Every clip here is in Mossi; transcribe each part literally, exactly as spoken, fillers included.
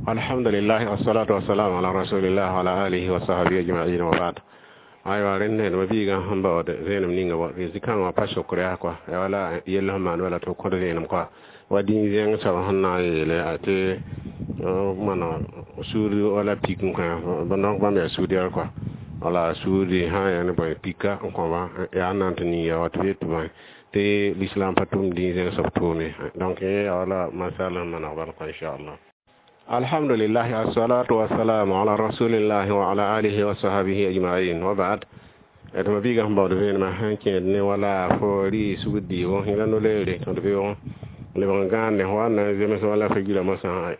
Alhamdulillah, wassalatu wassalamu ala rasulillah wa ala alihi wa sahbihi ajma'in, wa ba'd. Aywa, rẽnd ma biigã sẽn baood vẽenem ninga wa zĩ-kãngã wã pa sokr yaa kɔa ya wala yell sẽn maan wala tɩ b kõt vẽenem kɔa wa dĩin zẽng soab sẽn na n yeele tɩ mana suud wala pik n kõ donc bãmb yaa suudɛr kɔa wala suudi sã n yaa ne bõe pika n kõ-ba yaa n na n tɩ ning ya wa tɩ b yet tɩ bõe tɩ l'islam pa tʋm dĩin zẽng soab tʋʋm ye. Donc yẽ yaa wala masal sẽn maneg bal kɔa, inchallah. Alhamdulillah, assalatu wassalamu ala rasulillah wa ala alihi wa sahbihi ajma'in, wa ba'd. D ma biigã sẽn baood vẽenemã sẽn kẽed ne wala fo rɩ sugd dɩɩgo yẽla no-leere tõd beoogẽ lebg n gãande fo wa n na n zems wala fa yirã mosã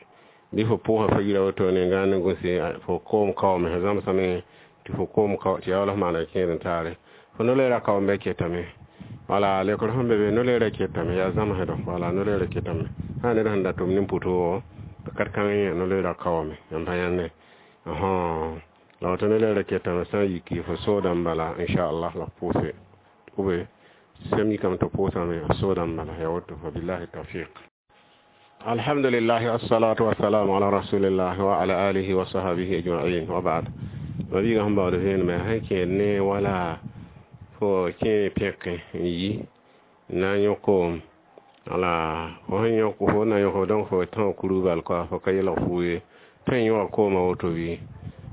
bɩ fo pʋʋsa fa yira wotone n gãand n gose fo koom kaoome fo zãmsame tɩ fo koom kao tɩ yaa wala f maana kẽed n taare fo no-leerã kaoombe ketame wala lekr sẽn be be no-leerã ketame yaa zãmsdɔ wala no-leerã ketame sã ned sẽn da tʋm nin pʋtoogo kat kãng yẽ no-leerã kaoome n pa yãnde la woto no-leerã ketame sã n yiki fo soodã n bala, inchallah, la f pʋʋse ube sem yikame tɩ pʋʋsame f soodã n bala ya woto. Fa billahi tawfiq. Alhamdulillah, assalatu wassalamu ala rasulillah wa ala alihi wa sahbihi ajma'in, wa ba'd. Ma biigã sẽn baood vẽenemã sẽn kẽed ne wala fo kẽ pẽke n yi n na n yõ koom wala fo sẽn yõk fo na yõk donc fo tão kurug bal kɔa fo ka yelg fuu ye tõe n yõga koomã woto bɩ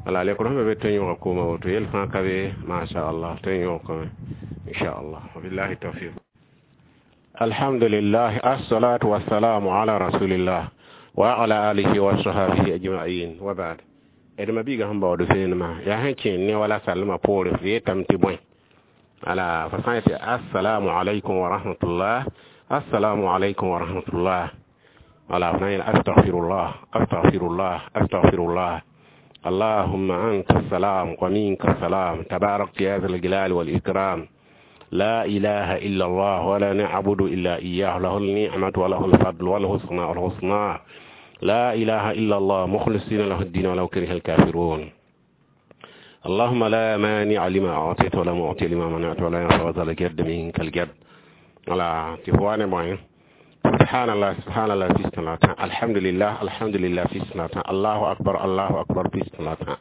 wala lekr sẽn be be tõe n yõga koomã woto yel fãa ka be, mashallah, tõe n yõgame, inchallah. Wabillahi tawfiq. Alhamdulillah, assalatu wassalamu ala rasulillah wa ala alihi wa sahbihi ajma'in, wa ba'd. D ma biigã sẽn baood vẽenemã yaa sẽn kẽed ne wala sallmã poore f yeetame tɩ bõe ala fo sã n yetɩ assalamu alaikum wa rahmatullah, assalamu alaikum wa rahmatullah, wala f na n yeel astaghfirullah, astaghfirullah, astaghfirullah, allahumma anta assalam wa minka assalam, tabarak ya dhal jalali wal ikram, لا إله إلا الله ولا نعبد إلا إياه، له النعمة وله الفضل وله الثناء الحسنى، لا إله إلا الله، مخلصين له الدين ولو كره الكافرون، اللهم لا مانع لما أعطيت ولا معطي لما منعت ولا ينفع ذا الجد منك الجد. ولا تفواني بوين سبحان الله، سبحان الله في سنة، الحمد لله، الحمد لله في سنة، الله أكبر، الله أكبر في سنة.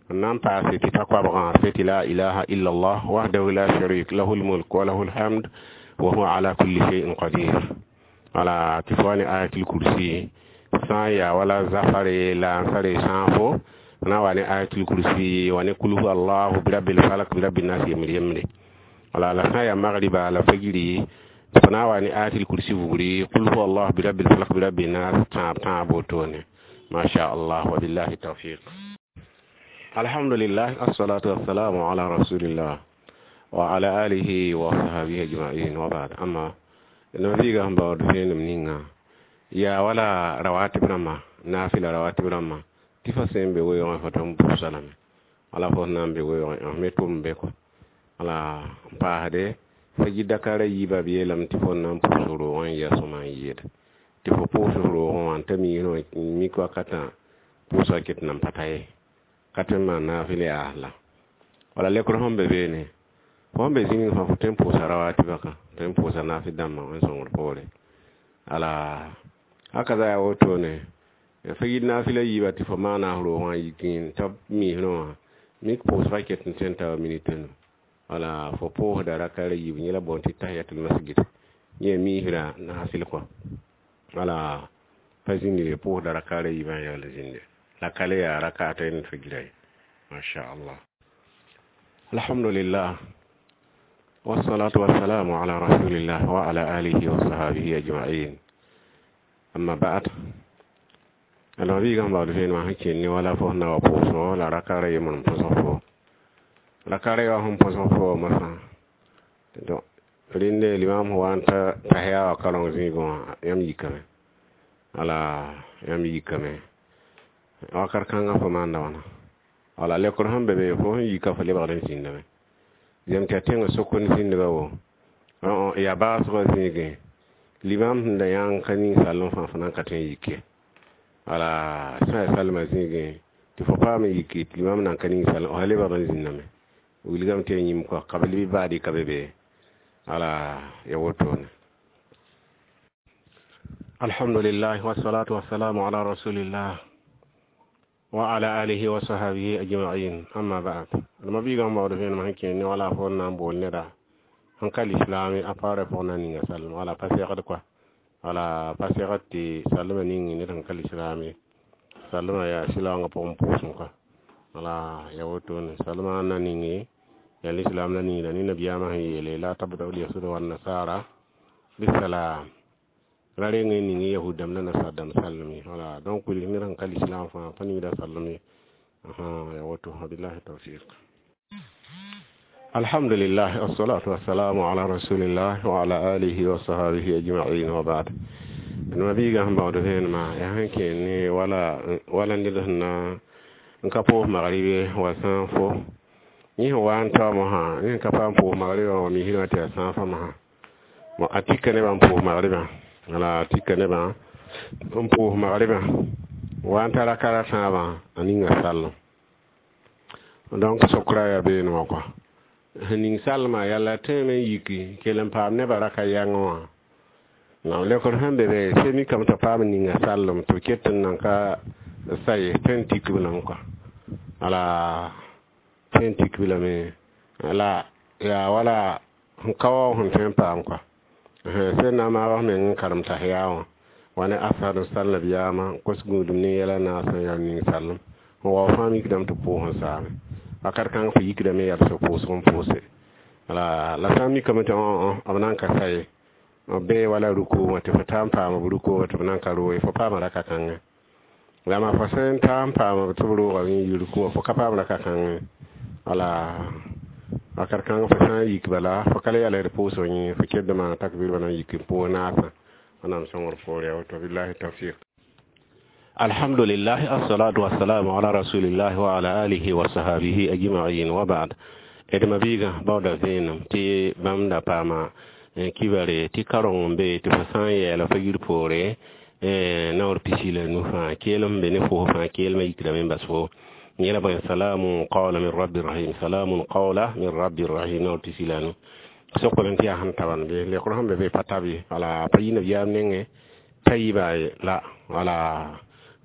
n paase tɩ ta koabgã tɩ لا إله إلا الله وحده لا شريك له، الملك وله الحمد وهو على كل شيء قدير. Wala tɩ fo wa ne ayatul kursi sã n yaa wala zafare la n sare sãafo na wa ne ayatul kursi wa ne قل هو الله, برب الفلق, برب الناس, yembr yembre. Wala la sã n yaa magriba la fajiri fo na wa ne ayatul kursi bugri, قل هو الله, برب الفلق, برب الناس, tãab tãab wotone, ma sha Allah. Wa billahi tawfiq. Alhamdulillah, assalatu wassalamu ala rasulillah wa ala alihi wa sahbihi ajma'in, wa ba'd. Amma no biiga sẽn baood vẽenem ninga yaa wala rawatib rãmba naafila rawatib rãmba tɩ fa sẽn be weoogẽ fo tõnd pʋʋsa lame wala fo sẽn na n be weoogẽ f me tʋm be kɔ wala n paasde fajir dakara yiiba b yeelame tɩ fo na n pʋʋs roogẽ n ya sõma n yɩɩd tɩ fo pʋʋs roogẽ wã n ta miisẽ mik wakatã pʋʋsga ket nan pa ta ye ka tõe n maan naafɩl yaas la wala lekr sẽn be beene fo sẽn be zĩnig fãa fo tõe n pʋʋsa rawatibã ka tõe n pʋʋsa naafɩ dãmbã n sõngd poore ala haka za yaa wotone fajir naafɩla yiiba tɩ fo maana f roogã yik n t'a miisrẽ wã mik pʋʋsga ket n tõe n ta wa minit nu wala fo pʋʋsda rakara yiib yẽ la boond tɩ tahiyatul masjid yẽ miisrã naafɩl kɔ wala pa zĩndi pʋʋsda rakara yiibã yaool zĩnde la ka le yaa rakata n fajira ye, masha Allah. Alhamdulillah, wassalatu wassalamu ala rasulillah wa ala alihi wa sahbihi ajma'in, amma ba'd. Alors biigã sẽn baood vẽenemã sẽn kẽnd ne wala fo sẽn na wa pʋʋsgo la rakara yembr n põsg fo rakara ya sẽn põsg fo mosã donc rẽnde limam wa n ta tahiya wa kareng zĩigẽ wã yãmb yikame wala yãmb yikame wakat kãngã fo maanda wãna wala lekr sẽn be be fo sẽn yika fo lebgd n zĩndame zem tɩ yaa tẽngã sokond zĩndba wo yaa baasgã zĩigẽ limam sẽn da yãng ka ning sall fãa fo nan ka tõe n yik ye wala sã yaa salmã zĩigẽ tɩ fo paam n yiki tɩ limam nan ka ning sall f lebgd n zĩndame wilgame tɩ ya yĩm kɔ kabl bɩ baadi ka be be wala ya wotone. Alhamdulillah, wassalatu wassalamu ala rasulillah. وعلى آله وصحبه أجمعين أما بعد لما بيغا مبawd vẽenem sẽn kẽ ne wala fo n na n bool neda sẽn ka lislaame a paoorã pʋgẽ na n ninga salem wala pa segd kɔa wala pa segd tɩ salmã ning ned sẽn ka lislaame salmã yaa sɩlaoongã pʋgẽ pʋʋsem kɔa wala ya wotone salmã na ninge ya lislaam la ningda ne nabiyaamã sẽn yeele la tabdau lyahud wannasara bisalam ra reng n ning yahud dãmb la nasar dãmb salem ye wala donc wilg ned sẽn ka lislaam fãa pa ningda salem ye ya woto wabillahi tawfiq alhamdulillah wassalatu wassalamu ala rasulillah wa ala alihi wa sahbihi ajma'in wa ba'd ma biiga sẽn baood vẽenemã yaa sẽn kẽ ne wala wala ned sẽn na n ka pʋʋs magribe wa sãn fo yẽ sẽn wa n taoom sã yẽ sẽn ka paam pʋʋs magribã wa misrã tɩ yaa sãn fãmsã bon a tika nebã n pʋʋs magribã wala a tika nebã n pʋʋs magribã wa n tara kara tãabã a ninga sallem donc sokra yaa beene wã kɔa sẽn ning salmã yala tõeme n yiki kell n paam nebã raka yãngẽ wã nam lekr sẽn be be se mikame t'a paam n ninga sallem tɩ b ket n nan ka sa ye tõe n tik b lame kɔa wala tõe n tik b lame la yaa wala sẽn ka wa sẽn tõe n paam kɔa sẽn na n maag f meng n karem tahiya wã wa ne asad n sal nabiyaamã n kos gũudum ne yɛla naas n yaa ning sallem n wao fãa mikdame tɩ pʋʋs n saame wakat kãng fo yikdame yaa b pʋʋsg n pʋʋse la la sã n mikame tɩ b nan ka sa ye b bee wala ruku wã tɩ fo taa n paam b ruku wã tɩ b nan ka roe fo paama raka kãngã la maa fo sẽn taa n paam tɩ b rooga n yi ruku wã fo ka paam raka kãngẽ wala wakat kãng fo sã n yik bala fo ka le yaa la d pʋʋsg yẽ fo ked maana takbir bala n yik n pʋʋs naasã wẽnnaam sõngr poore ya woto billahi tawfiq alhamdulillah assalatu wassalamu ala rasulillah wa ala alihi wa sahabihi ajma'in wa ba'd d ma-biigã baooda vẽenem tɩ bãmb da paama kibare tɩ kareng n be tɩ fo sã n yɛɛla fo yir poore naoor pisi la nu fãa keelem sẽn be ne fos fãa keelmã yikdame n bas fo yẽla bõe salamun qawla min rabbi rahim salamun qawla min rabbi rahim naoor pisi la nu sokol n tɩ yaa sẽn taban be lekr sẽn be be pa tab ye wala pa yi nabiyaam nengẽ pa yiba ye la wala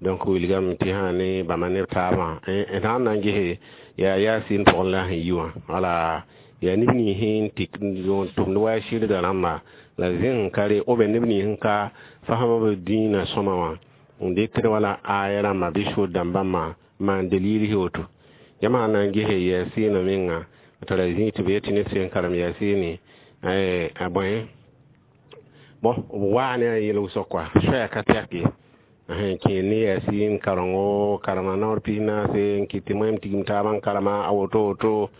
donc wilgame tɩ sã ne bãmba neb taabã d sãn na n gese yaa yasin pʋgẽ la sẽn yi wã wala yaa neb nins n tɩ tʋmd wa sɩrga rãmba la zẽng ka re b neb nins n ka fasem b dĩinã sõma wã n dɩkd wala aya rãmba bɩ sʋd dãmbã maan dalil woto yãmb sã na n gese yaasiinã menga tara zĩ tɩ b yetɩ ned sẽn karem yaasiine a bõe bon b waa ne a yel wʋsg kɔa soɛɛ ka tɛk ye kẽ ne yaasiin karengo karema naoor pis naase n kɩt tɩ moẽm tigim taabã n karema a woto woto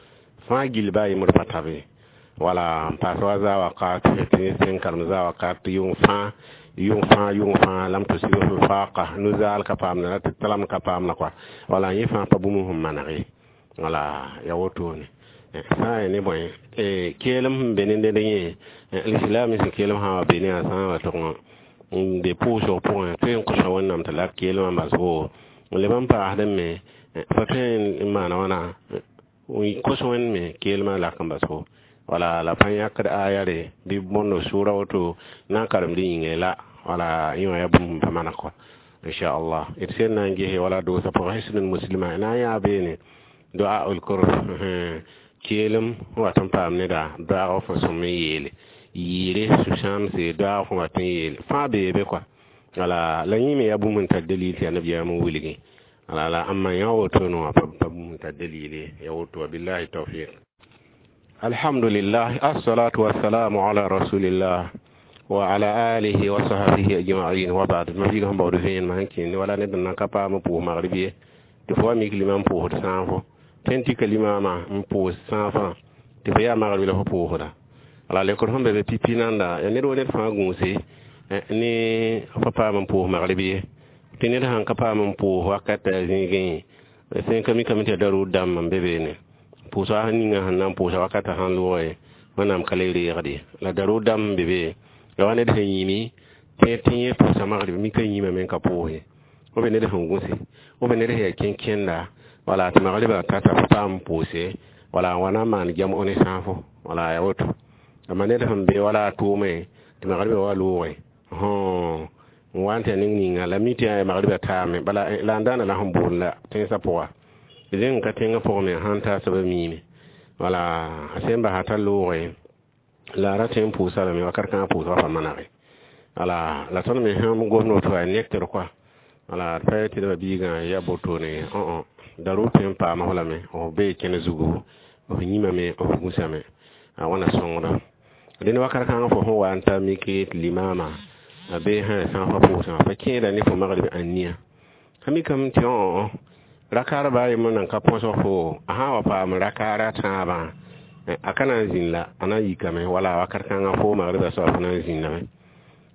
fãa gill baa yembr pa tabe wala n paas wa zaa wakat tɩ ned sẽn karem zaa wakat yʋng fãa yʋng fãa yʋng fãa lam tusibhu lfaqa nu-zaal ka paamda la tɩ talam ka paamda kɔa wala yẽ fãa pa bũmb sẽn maneg ye wala ya wotone sã n ya ne bõe keelem sẽn be ne ned yẽ lislaam sẽn keelem sã wa be ne a sã n wa tʋg n be pʋʋsg pʋgẽ tõe n kõsa wẽnnaam tɩ lak keelmã n bas fo n leb n paasdẽ me fo tõe n maana wãna n kos wẽnd me keelmã lak n bas fo wala la pa yãkd aya re bɩ bõndo sʋʋra woto na n karemd yĩnge la wala yẽ wã yaa bũmb n pa maneg kɔa inchallah d sẽn na n gese wala doosã pʋgã hisnul muslima na n yaa beene doa ul kurb keelem n wat n paam neda doaag fo sõm n yeele yɩɩre sũ-sãamse doaag fo wat n yeele fãa bee be kɔa wala la yẽ me yaa bũmb n tar dalil tɩ yaa nabiyaam n wilgi wala la ãmba yã wotone wã pa bũmb n tar dalil ye ya woto wa billahi tawfiq alhamdulillah assalatu wassalamu ala rasulillah wa ala alihi wa sahbihi ajma'in wa ba'd ma biiga sẽn baood vẽenemã sẽn kẽende wala ned n nan ka paam n pʋʋs magrib ye tɩ fo wa mik limã n pʋʋsd sãafo tõe n tika limaamã n pʋʋs sãafã tɩ fo yaa magrib la fo pʋʋsda wala lekr sẽn be be pipi nanda ya ned wa ned fãa gũuse ne fo paam n pʋʋs magrib ye tɩ ned sãn ka paam n pʋʋs wakat a zĩigẽ sẽn ka mikame tɩ yaa daruud dãmb n be beene pʋʋsga ninga sẽn na n pʋʋsa wakatã sãn loogẽ wẽnnaam ka le reegd ye la daruud dãmb n be be la wa ned sẽn yĩmi tɩ tɩ yẽ pʋʋsa magrib mika yĩmame n ka pʋʋs ye b ned sẽn gũse b ned sẽn yaa kẽn-kẽnda wala tɩ magribã tata fo paam n pʋʋse wala n wa na n maan gem ne sãafo wala ya woto amma ned sẽn be wala a tʋʋme tɩ magribã wa loogẽ N wa n tɩ ning ninga la mi tɩ yaa magriba taame bala la n daana la sẽn boond la tẽnsã pʋga zẽng ka tẽngã pʋgẽ me sãn ta soaba miime wala a sẽn basa t'a looge la a ra tõe n pʋʋsa lame wakat kãngã pʋʋsgã pa manege wala la tõnd me sẽn gomd woto yaa nekter kɔa wala d pa tɩ d biigã ya botone õ darʋ tõe n paam f lame f bee kẽne zugu f yĩmame f gũsame a wãna sõngda dẽnd wakat kãngã fo sẽn wa n ta mik tɩ limaama a bee sã sãafã pʋʋsã fa kẽeda ne fo magrib ãnia sã mikame tɩ õ rakaar baa yembr nan ka põsg fo a sã n wa paam rakaar a tãabã a ka na n zĩnd la a na n yikame wala wakat kãngã fo magriba soab fo na n zĩndame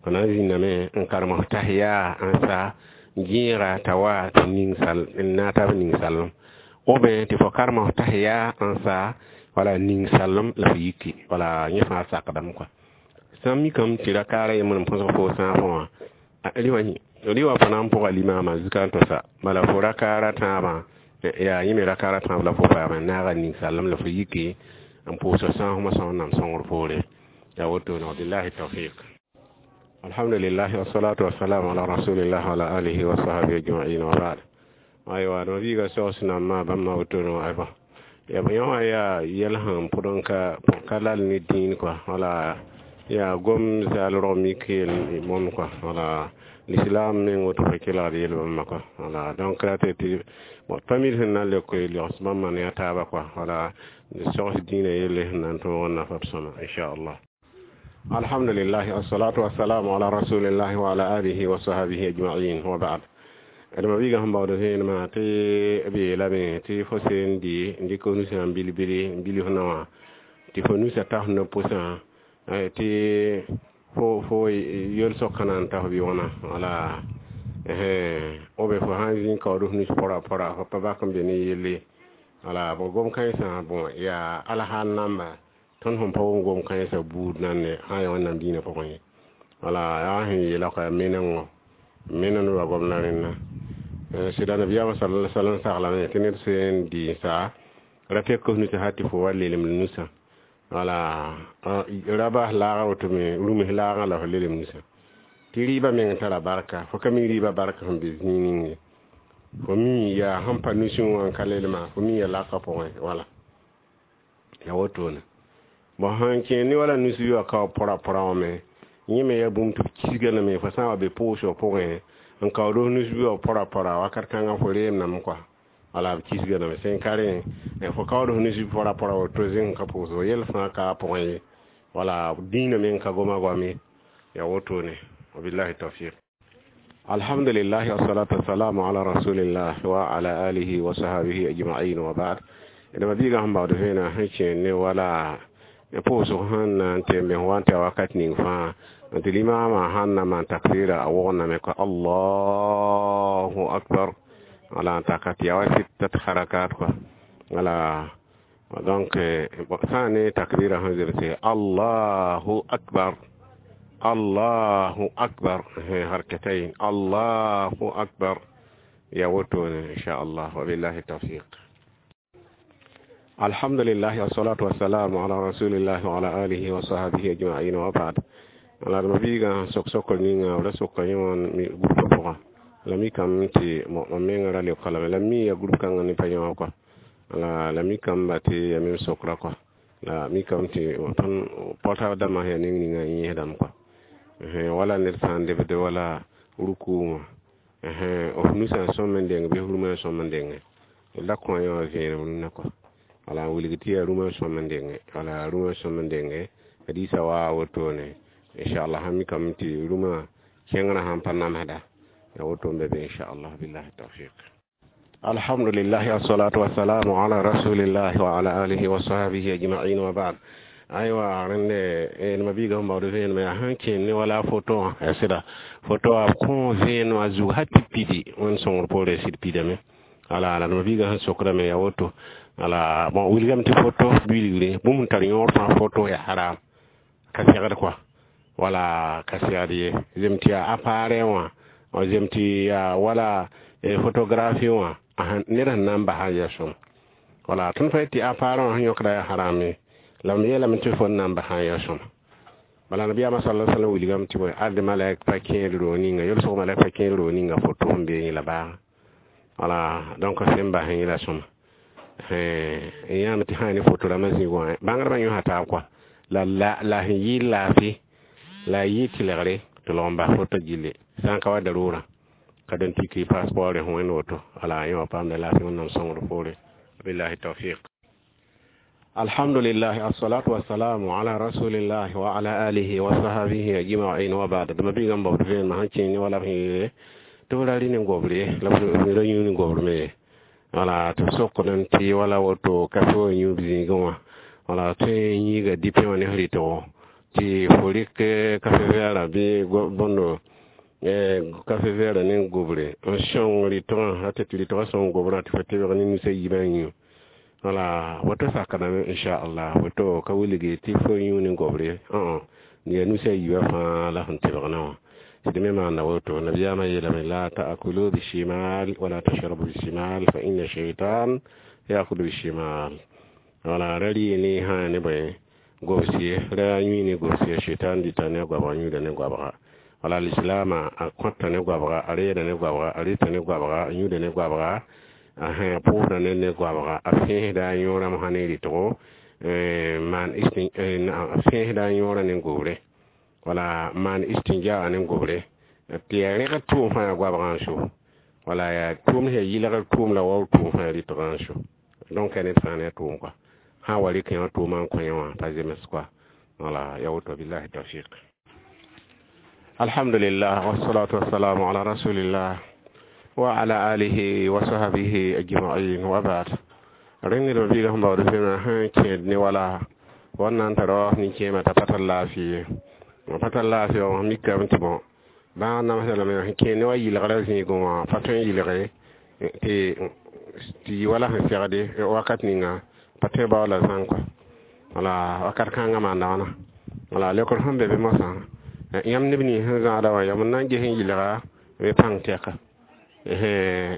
fo na n zĩndame n karem f tahiya n sa gẽega t'a wa tɩ ning sal n na tab ning salem ou bien tɩ fo karem f tahiya n sa wala ning salem la f yiki wala yẽ fãa sakdame kɔa sã n mikame tɩ rakaara yembr n põsg fo sãafã wã rɩ wã fo na n pʋga limaamã zika n tosa bala fo rakaara tãabã yaa yẽ me rakaara tãab la fo paame n naaga ning salem la fo yiki n pʋʋs sãasmã sã wẽnnaam sõngr poore yaa wotone wabillahi tawfiq. Alhamdulillah, wassalatu wassalamu ala rasulillah wa ala alihi wa sahbihi ajma'in wa ba'd. Aywa, no biiga sogs nambã bãmba wotone ayba ya yõ wã yaa yɛl sẽn pʋd n ka ka lal ne dĩin kɔa wala yaa gom zaal rog mik yel bõmb kɔa wala l'islam meng woto fa kelgd yel bãmba kɔa wala donc ra tɩ tɩ bon pa mid sẽn na n leok legs bãmba ne a taaba kɔa wala sogs dĩinã yelle sẽn na n tõog n nafa b sõma inchallah. Alhamdulillah, wassalatu wassalamu ala rasulillah wa ala alihi wa sahbihi ajma'in wa ba'd. D ma biiga sẽn baood vẽenemã tɩ b yeelame tɩ fo seen dɩ n dɩk nusã n bil-bili n bil f naowã tɩ fo nusã ta f no-pʋsã tɩ fo fo yel-sokã na n ta f bɩ wãna wala ou bien fo sã n zĩ n kaood f nus pora pora fo pa bak n be ne yelle wala b gom kãensã bon yaa alhaal namba tõnd sẽn pa wʋm gom kãensã buud nan ne sã n yaa wẽnnaam dĩinã pʋgẽ ye wala yaa sẽn yeela kɔa menengo menend wa gomda rẽnna sɩda nabiyaamã sala sallam saglame tɩ ned sẽn dɩ n sa ra pek f nusã ha tɩ fo wa lelem nusã wala ra bas laagã woto me rũms laagã la f lelem nusã tɩ rɩɩbã meng tara barka fo ka mi rɩɩbã barka sẽn be zĩig ning ye fo mi yaa sẽn pa nusẽ wã n ka lelma fo mi ya lakã pʋgẽ wala ya wotone bon sãn kẽ ne wala nus yoa ka pora pora wã me yẽ me yaa bũmb tɩ b kisga lame fo sã n wa be pʋʋsg pʋgẽ n kaood f nus yoa pora pora wakat kãngã fo reemdame kɔa wala b kisga lame sẽn ka rẽ fo kaood f nus pora pora woto zẽng ka pʋʋsg yɛl fãa ka a pʋgẽ ye wala dĩinã meng ka goma goam ye ya wotone wabillahi tawfiq. Alhamdulillah, wassalatu wassalamu ala rasulillah wa ala alihi wa sahbihi ajma'in wa ba'd. D ma biiga sẽn baood vẽenã sẽn kẽ ne wala pʋʋsg sẽn na n tɩ me wa n tɩ wakat ning fãa tɩ limaamã sãn na maan takbira a wogndame ko Allahu akbar wala n taka tɩ yaa wa sittat harakat kɔa wala donc sã n ne takbira sẽn zemse Allahu akbar Allahu akbar harkatain Allahu akbar ya wotone inchallah wabillahi tawfiq. Alhamdulillah, wassalatu wassalamu ala rasulillah wa ala alihi wa sahbihi ajma'in wa ba'd. Ala ma biiga sok-sokr ninga la soka yẽ wã groupe pʋgã la mikame tɩ mam menga ra leoka lame la mi ya groupe kãngã ne pa yẽ wã kɔa la la mikame tɩ ya mem sokra kɔa la mikame tɩ tõnd pɔta dãmbã sẽn yaa ning ninga yẽesdame kɔa wala ned sã n lebd wala ruku wã f nusã n sõm n deng bɩ f rũmã n sõm n denge la kõ yẽ wã vẽenem rũnã kɔa wala n wilg tɩ yaa rũmã n sõm n denge wala rũmã n sõm n denge hadiisa waa wotone inchallah sã mikame tɩ rũmã kẽngrã sãn pa namsda ya woto n be be inchallah billahi tawfiq. Alhamdulillah, wassalatu wassalamu ala rasulillah wa ala alihi wa sahbihi ajma'in wa ba'd. Aywa, rẽnde ma biiga sẽn baood vẽenemã yaa sãn kẽen ne wala foto wã ya sɩda foto wã kõ vẽen wã zug ha tɩ pidi wẽnd sõngr poorẽ sɩd pidame wala la ma biiga sẽn sokdame ya woto wala bon wilgame tɩ foto bilgre bũmb sẽn tar yõor fãa foto ya haram ka segd kɔa wala ka segd ye zem tɩ yaa appareil wã zem tɩ yaa wala photographie wã ned sẽn na n basa ya sõm wala tõnd fa tɩ appareil wã sẽn yõkda yaa harame la m yeelame tɩ fo n na n basa ya sõm. Bala nabiyaamã sala sallam wilgame tɩ bõe ad malɛk pa kẽed roog ninga yolsg malɛk pa kẽed roog ninga foto sẽn bee yẽ la baaga. Wala donc sẽn bas yẽ la sõma n yãame tɩ sã ne foto rãmbã zĩig wã bãngdbã yõsa taab kɔa la la la sẽn yɩ laafɩ la a yɩ tɩlgre tɩ lg n bas foto gilli sã n ka wa darʋʋrã ka dẽn tiki passeport sẽn wẽnd woto. Wala yẽ wã paamda laafɩ Wẽnnaam sõngr poore. Billahi tawfiq. Alhamdulillah, assalatu wassalamu ala rasulillah wa ala alihi wa sahbihi ajma'in wa ba'd. Dama bi gam bawd fen ma hanci ni wala fi to la ri ni gobre la bi ro ni gobre me wala to sokon ti wala woto ka fo nyu bi go wala te yi ga dipe woni rito ti forik ka fe vera bi bondo e kafe vera ne gobre on shon rito hata ti rito son gobre ti fete ni ni se yiban yu wala woto sakana insha Allah woto ka wiligi ti fo yu ni gobre on ni nu se yiba fa la han tibna ti me ma na woto nabiyama yela la ta'kulu bishimal wala tashrabu bishimal fa inna shaytan ya'kulu bishimal. Wala rali ni ha ne boy gobsiye ra yũ ne gobsiye shaytan dita ne gwabga yũuda ne gwabga. Wala l'islama a kõta ne gwabga a reeda ne gwabga a rɩta ne gwabga a yũuda ne gwabga a pʋʋsda ne ne gwabga a fẽesda a yõorame sã ne rɩtgo maan a fẽesda a yõorã ne gobre wala maan istinjaa ne gobre tɩ yaa rẽgd tʋʋm fãa yaa goabgã n so wala yaa tʋʋm sẽn yaa yɩlgr tʋʋm la waoor tʋʋm fãa yaa rɩtgã n so. Donc ned fãa ne a tʋʋm kɔa sã n wa rɩk yã tʋʋmã n kõ yẽ wã pa zems kɔa wala ya woto. Billahi tawfiq. Alhamdulillah, wassalatu wassalamu ala rasulillah wa ala alihi wa sahbihi ajma'in wa ba'd. Rẽnd d biiga sẽn baood fẽema sẽn kẽed ne wala wãnna n tara nin-kẽemã t'a pa tar laafɩ ye pa tar laafɩ wã mikame tɩ bõ bãag namsda lame sẽn kẽed ne wa yɩlgrã zĩigẽ wã pa tõe n yɩlge tɩ tɩ yɩ wala sẽn segde wakat ninga pa tõe bao la zãng kɔa wala wakat kãngã maanda wãna wala leokr sẽn be be mosã yãmb neb nins sẽn zãada wã yam n na n ges n yɩlga bɩ pãng tɛka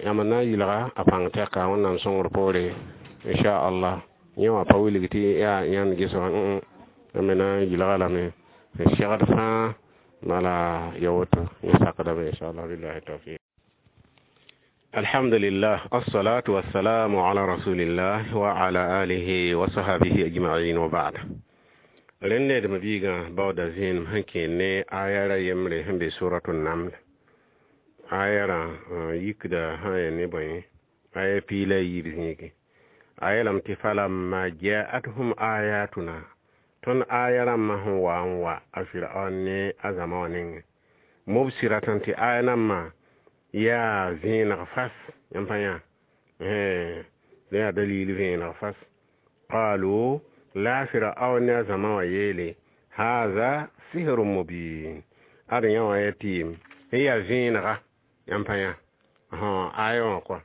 yãmb n na n yɩlga a pãng tɛka Wẽnnaam sõngr poore inchallah. Yẽ wã pa wilg tɩ yaa yãnd ges wã yãmb me na n yɩlga lame n segd fãa bala ya woto yẽ sakdame inchallah. Billahi tawfiq. Alhamdulillah, assalatu wassalamu ala rasulillah wa ala alihi wa sahbihi ajma'in wa ba'd. Rẽnd d biigã baooda zẽenem sẽn kẽed ne aya ra yembre sẽn be suratul naml aya rã yikda sã n yaa ne bõe aya piig la a yiib zĩigẽ a yeelame tɩ falamma ja'atuhum ayatuna tõnd aya rãmbã sẽn wa n wa a Firaon ne a zãma wã nengẽ mubsiratan tɩ aya nambã yaa vẽeneg fas yãmb pa yã yaa dalil vẽeneg fas qalu la Firaon ne a zãma wã yeele haza sihrun mubin ad yã wã yaa tɩɩm n yaa vẽenega yãmb pa yã aya wã kɔa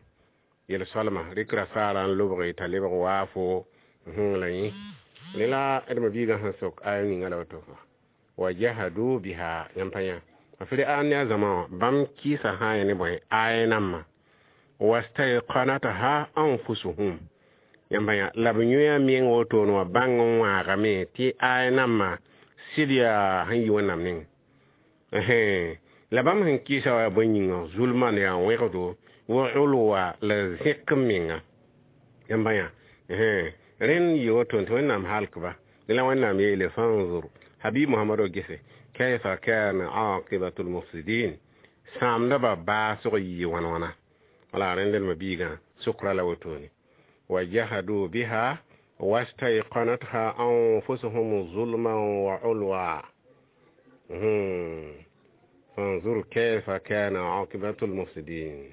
yel-soalma rɩkra saara n lobge t'a lebg waafo la yẽ rẽ la d ma-biigã sẽn sok aya ninga la woto wa jahadu biha yãmb pa yã a Firaon ne a zãma wã bãmb kɩɩsa sã n yaa ne bõe aya nambã wastayqanatha anfusuhum yãmb pa yã la b yõa meng wotone wã bãng n wãagame tɩ aya nambã sɩd yaa sẽn yi Wẽnnaam nengẽ la bãmb sẽn kɩɩsa wa yaa bõe yĩnga zulman yaa wẽgdo wa ulwa la zẽk n menga yãmb pa yã rẽnd yɩ woto tɩ Wẽnnaam halkba la Wẽnnaam yeele fanzur habib Mohamado gese kayfa kana aqibatu lmufsidin sãamdbã baasg yɩ wãn wãna wala rẽnd d ma-biigã sʋkra la wotone wa jahadu biha wastayqanatha anfusuhum zulman wa ulwa fanzur kayfa kana aqibatu lmufsidin.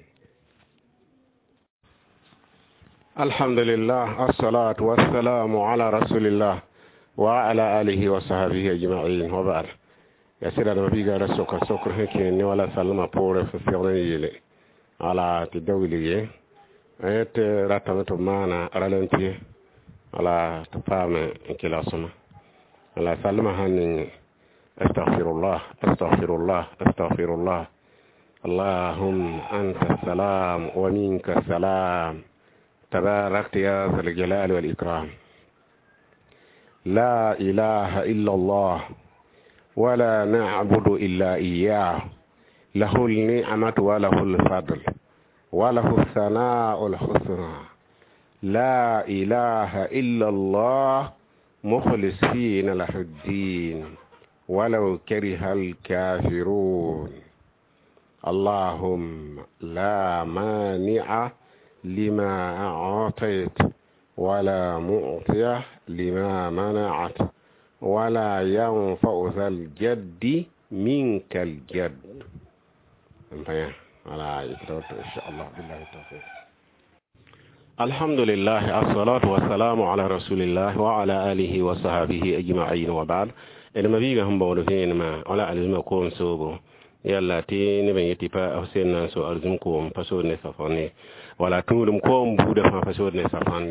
Alhamdulillah, assalatu wassalamu ala rasulillah wa ala alihi wa sahbihi ajma'in wa ba'd. Ya sɩda d ma-biigã ra soka sokr sẽn kẽed ne wala sallmã poorẽ sẽn segd n yeele wala tɩ da wilg ye tɩ ratame tɩ b maana ralenti wala tɩ paame n kelg sõma wala sallmã sãn ning astaghfirullah astaghfirullah astaghfirullah allahumma anta salam wa minka salam tabarakta ya zal jalali wal ikram la ilaha illa allah ولا نعبد إلا إياه له النعمة وله الفضل وله الثناء الحسنى لا إله إلا الله مخلصين له الدين ولو كره الكافرون اللهم لا مانع لما أعطيت ولا معطي لما منعت ولا ينفع ذا الجد منك الجد ولا إن شاء الله بالله التوفيق الحمد لله الصلاة والسلام على رسول الله وعلى آله وصحبه أجمعين وبعد d ma-biigã sẽn baood vẽenemã wala alizĩmã koom soobo yalla tɩ neb n yetɩ pa f sẽn na n so alizim koom pa sood ne safõn wala tũudum koom buudã fãa pa sood ne safõn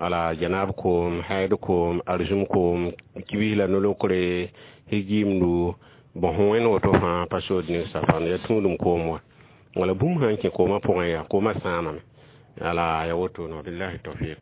wala janaab koom haid koom arzum koom kibis la nolokre higimdu bõ sẽn wẽnd woto fãa pa sood ne safõn ya tũudum koom wã wala bũmb sãn kẽ koomã pʋgẽ yaa koomã sãamame wala ya woto no billahi tawfiq.